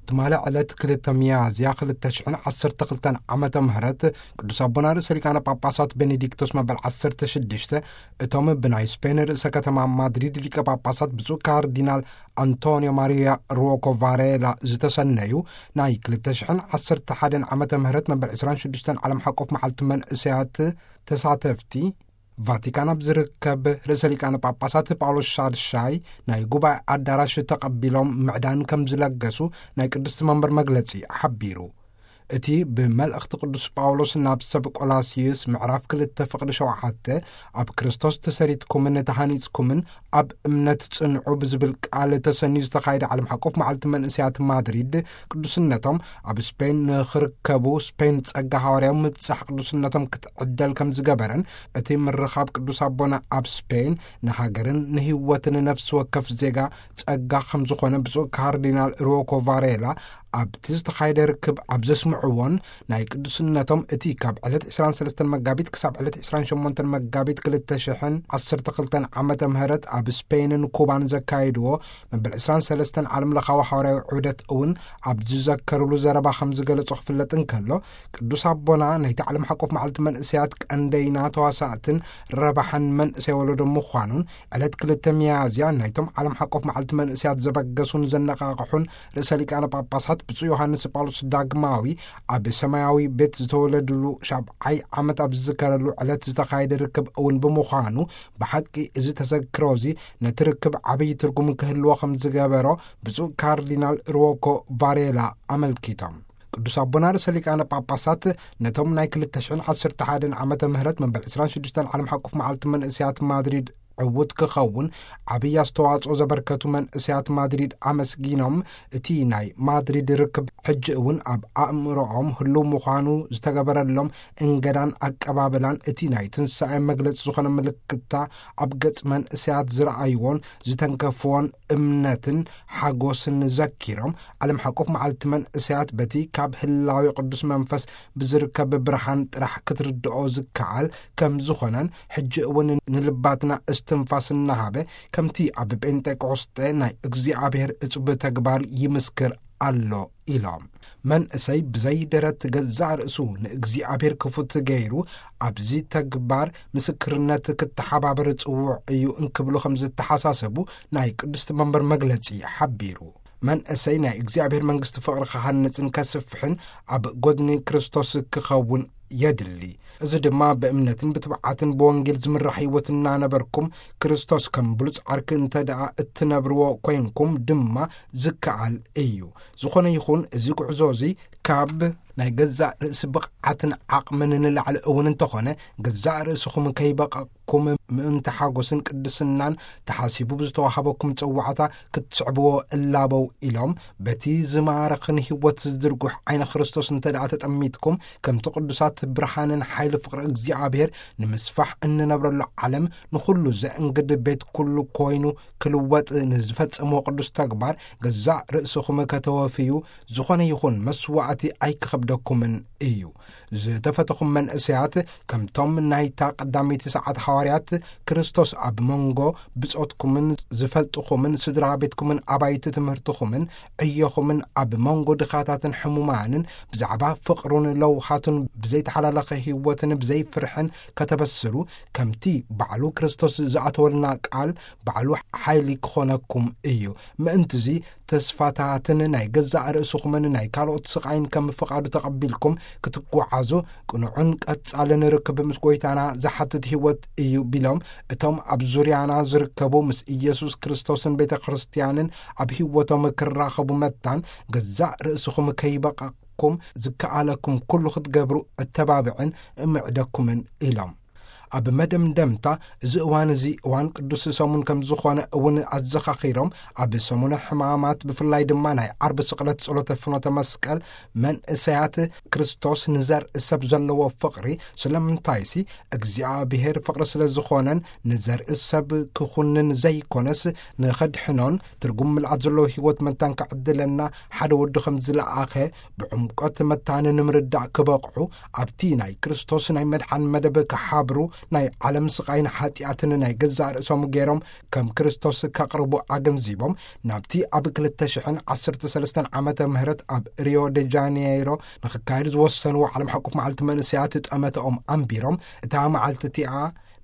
ትማሊ ዕለት ክልተ ሚያዝያ ክልተ ሽሕን ዓሰርተ ክልተን ዓመተ ምህረት ቅዱስ ኣቦና ርእሰ ሊቃነ ጳጳሳት ቤኔዲክቶስ መበል ዓሰርተ ሽዱሽተ እቶም ብናይ ስፔን ርእሰ ከተማ ማድሪድ ሊቀ ጳጳሳት ብፁዕ ካርዲናል ኣንቶኒዮ ማሪያ ሩወኮ ቫሬላ ዝተሰነዩ ናይ ክልተ ሽሕን ዓሰርተ ሓደን ዓመተ ምህረት መበል ዕስራን ሽዱሽተን ዓለም ሓቆፍ መዓልቲ መንእሰያት ተሳተፍቲ ቫቲካን ኣብ ዝርከብ ርእሰ ሊቃነ ጳጳሳት ጳውሎስ ሻድሻይ ናይ ጉባኤ ኣዳራሽ ተቐቢሎም ምዕዳን ከም ዝለገሱ ናይ ቅድስቲ መንበር መግለጺ ሓቢሩ። እቲ ብመልእኽቲ ቅዱስ ጳውሎስ ናብ ሰብ ቆላስዩስ ምዕራፍ ክልተ ፍቕዲ ሸውዓተ ኣብ ክርስቶስ ተሰሪትኩምን ተሃኒጽኩምን ኣብ እምነት ጽንዑ ብዝብል ቃል ተሰንዩ ዝተኻየደ ዓለም ሓቆፍ መዓልቲ መንእሰያት ማድሪድ ቅዱስነቶም ኣብ ስፔን ንኽርከቡ ስፔን ጸጋ ሃዋርያዊ ምብጻሕ ቅዱስነቶም ክትዕደል ከም ዝገበረን እቲ ምርኻብ ቅዱስ ኣቦና ኣብ ስፔን ንሃገርን ንህይወትን ነፍሲ ወከፍ ዜጋ ጸጋ ከም ዝኾነ ብፁዕ ካርዲናል ሩወኮ ቫሬላ ኣብቲ ዝተኻየደ ርክብ ኣብ ዘስምዕዎን ናይ ቅዱስነቶም እቲ ካብ ዕለት ዕስራን ሰለስተን መጋቢት ክሳብ ዕለት ዕስራን ሸሞንተን መጋቢት ክልተ ሽሕን ዓሰርተ ክልተን ዓመተ ምህረት ኣብ ስፔንን ኩባን ዘካየድዎ መበል ዕስራን ሰለስተን ዓለም ለኻዊ ሓዋርያዊ ዑደት እውን ኣብ ዝዘከርሉ ዘረባ ከም ዝገለጾ ክፍለጥ እንከሎ ቅዱስ ኣቦና ናይቲ ዓለም ሓቆፍ መዓልቲ መንእሰያት ቀንደይና ተዋሳእትን ረባሕን መንእሰይ ወለዶ ምዃኑን ዕለት ክልተ ሚያዝያ ናይቶም ዓለም ሓቆፍ መዓልቲ መንእሰያት ዘበገሱን ዘነቓቕሑን ርእሰ ሊቃነ ጳጳሳት ብፁዕ ዮሃንስ ጳውሎስ ዳግማዊ ኣብ ሰማያዊ ቤት ዝተወለድሉ ሻብዓይ ዓመት ኣብ ዝዝከረሉ ዕለት ዝተኻየደ ርክብ እውን ብምዃኑ ብሓቂ እዚ ተዘክሮ እዚ ነቲ ርክብ ዓብዪ ትርጉም ክህልዎ ከም ዝገበሮ ብፁዕ ካርዲናል ሩወኮ ቫሬላ ኣመልኪቶም። ቅዱስ ኣቦና ርእሰ ሊቃነ ጳጳሳት ነቶም ናይ ክልተ ሽሕን ዓሰርተ ሓደን ዓመተ ምህረት መበል ዕስራን ሽዱሽተን ዓለም ሓቁፍ መዓልቲ መንእሰያት ማድሪድ ዕዉት ክኸውን ዓብዪ ኣስተዋጽኦ ዘበርከቱ መንእሰያት ማድሪድ ኣመስጊኖም፣ እቲ ናይ ማድሪድ ርክብ ሕጂ እውን ኣብ ኣእምሮኦም ህሉው ምዃኑ ዝተገበረሎም እንገዳን ኣቀባብላን እቲ ናይ ትንሳኤ መግለጺ ዝኾነ ምልክታ ኣብ ገጽ መንእሰያት ዝረኣይዎን ዝተንከፍዎን እምነትን ሓጎስን ዘኪሮም፣ ዓለም ሓቆፍ መዓልቲ መንእሰያት በቲ ካብ ህላዊ ቅዱስ መንፈስ ብዝርከብ ብርሃን ጥራሕ ክትርድኦ ዝከኣል ከም ዝኾነን፣ ሕጂ እውን ንልባትና እስትንፋስ እናሃበ ከምቲ ኣብ ጴንጤቆስጠ ናይ እግዚኣብሔር እጹብ ተግባር ይምስክር ኣሎ ኢሎም። መንእሰይ ብዘይ ደረት ገዛእ ርእሱ ንእግዚኣብሔር ክፉት ገይሩ ኣብዚ ተግባር ምስክርነት ክተሓባበር ጽዉዕ እዩ እንክብሉ ከም ዝተሓሳሰቡ ናይ ቅድስቲ መንበር መግለጺ ሓቢሩ። መንእሰይ ናይ እግዚኣብሔር መንግስቲ ፍቕሪ ክሃንጽን ከስፍሕን ኣብ ጎድኒ ክርስቶስ ክኸውን የድሊ። እዚ ድማ ብእምነትን ብትብዓትን ብወንጌል ዝምራሕ ህይወት እናነበርኩም ክርስቶስ ከም ብሉጽ ዓርኪ እንተ ደኣ እትነብርዎ ኮይንኩም ድማ ዝከኣል እዩ። ዝኾነ ይኹን እዚ ጉዕዞ እዚ ካብ ናይ ገዛእ ርእሲ ብቕዓትን ዓቕምን ንላዕሊ እውን እንተኾነ፣ ገዛእ ርእስኹም ከይበቐቕኩም ምእንቲ ሓጎስን ቅድስናን ተሓሲቡ ብዝተዋሃበኩም ጽዋዕታ ክትስዕብዎ እላበው ኢሎም፣ በቲ ዝማርኽን ህይወት ዝድርጉሕ ዓይነ ክርስቶስ እንተ ደኣ ተጠሚትኩም፣ ከምቲ ቅዱሳት ብርሃንን ሓይሊ ፍቕሪ እግዚኣብሔር ንምስፋሕ እንነብረሉ ዓለም ንኹሉ ዘእንግድ ቤት ኩሉ ኮይኑ ክልወጥ ንዝፈጸምዎ ቅዱስ ተግባር ገዛእ ርእስኹም ከተወፍዩ ዝኾነ ይኹን መስዋዕቲ ኣይክኸብደኩምን እዩ። ዝተፈተኹም መንእሰያት፣ ከምቶም ናይታ ቀዳመይቲ ሰዓት ሃዋርያት፣ ክርስቶስ ኣብ መንጎ ብጾትኩምን ዝፈልጥኹምን ስድራ ቤትኩምን ኣባይቲ ትምህርትኹምን ዕዮኹምን ኣብ መንጎ ድኻታትን ሕሙማንን ብዛዕባ ፍቕሩን ለውሃቱን ብዘይተሓላለኸ ህይወትን ብዘይ ፍርሕን ከተበስሩ፣ ከምቲ ባዕሉ ክርስቶስ ዝኣተወልና ቃል ባዕሉ ሓይሊ ክኾነኩም እዩ። ምእንትዚ ተስፋታትን ናይ ገዛእ ርእስኹምን ናይ ካልኦት ስቓይን ከም ፍቓዱ ተቐቢልኩም ክትጓዓዙ፣ ቅኑዕን ቀጻልን ርክብ ምስ ጐይታና ዝሓትት ህይወት እዩ ቢሎም፣ እቶም ኣብ ዙርያና ዝርከቡ ምስ ኢየሱስ ክርስቶስን ቤተ ክርስቲያንን ኣብ ህይወቶም ክራኸቡ መታን፣ ገዛእ ርእስኹም ከይበቐቕኩም ዝከኣለኩም ኩሉ ክትገብሩ እተባብዕን እምዕደኩምን ኢሎም። ኣብ መደምደምታ፣ እዚ እዋን እዚ እዋን ቅዱስ ሰሙን ከም ዝኾነ እውን ኣዘኻኺሮም፣ ኣብ ሰሙነ ሕማማት ብፍላይ ድማ ናይ ዓርቢ ስቕለት ጸሎተ ፍኖተ መስቀል መንእሰያት ክርስቶስ ንዘርኢ ሰብ ዘለዎ ፍቕሪ፣ ስለምንታይሲ እግዚኣብሔር ፍቕሪ ስለ ዝኾነን ንዘርኢ ሰብ ክኹንን ዘይኮነስ ንኸድሕኖን ትርጉም ምልኣት ዘለዎ ህይወት መታን ክዕድለና ሓደ ወዱ ከም ዝለኣኸ ብዕምቆት መታን ንምርዳእ ክበቕዑ፣ ኣብቲ ናይ ክርስቶስ ናይ መድሓን መደብ ክሓብሩ ናይ ዓለም ስቓይን ሓጢኣትን ናይ ገዛእ ርእሶም ገይሮም ከም ክርስቶስ ከቕርቡ ኣገንዚቦም፣ ናብቲ ኣብ ክልተ ሽሕን ዓሰርተ ሰለስተን ዓመተ ምህረት ኣብ ሪዮ ደ ጃኔይሮ ንኽካየድ ዝወሰንዎ ዓለም ሓቁፍ መዓልቲ መንእሰያት ጠመተኦም ኣንቢሮም፣ እታ መዓልቲ እቲኣ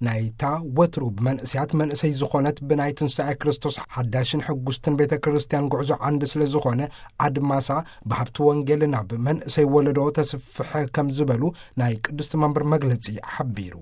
ናይታ ወትሩ ብመንእሰያት መንእሰይ ዝኾነት ብናይ ትንሳኤ ክርስቶስ ሓዳሽን ሕጉስትን ቤተ ክርስቲያን ጉዕዞ ዓንዲ ስለ ዝኾነ፣ ኣድማሳ ብሃብቲ ወንጌል ናብ መንእሰይ ወለዶ ተስፍሐ ከም ዝበሉ ናይ ቅድስቲ መንበር መግለጺ ሓቢሩ።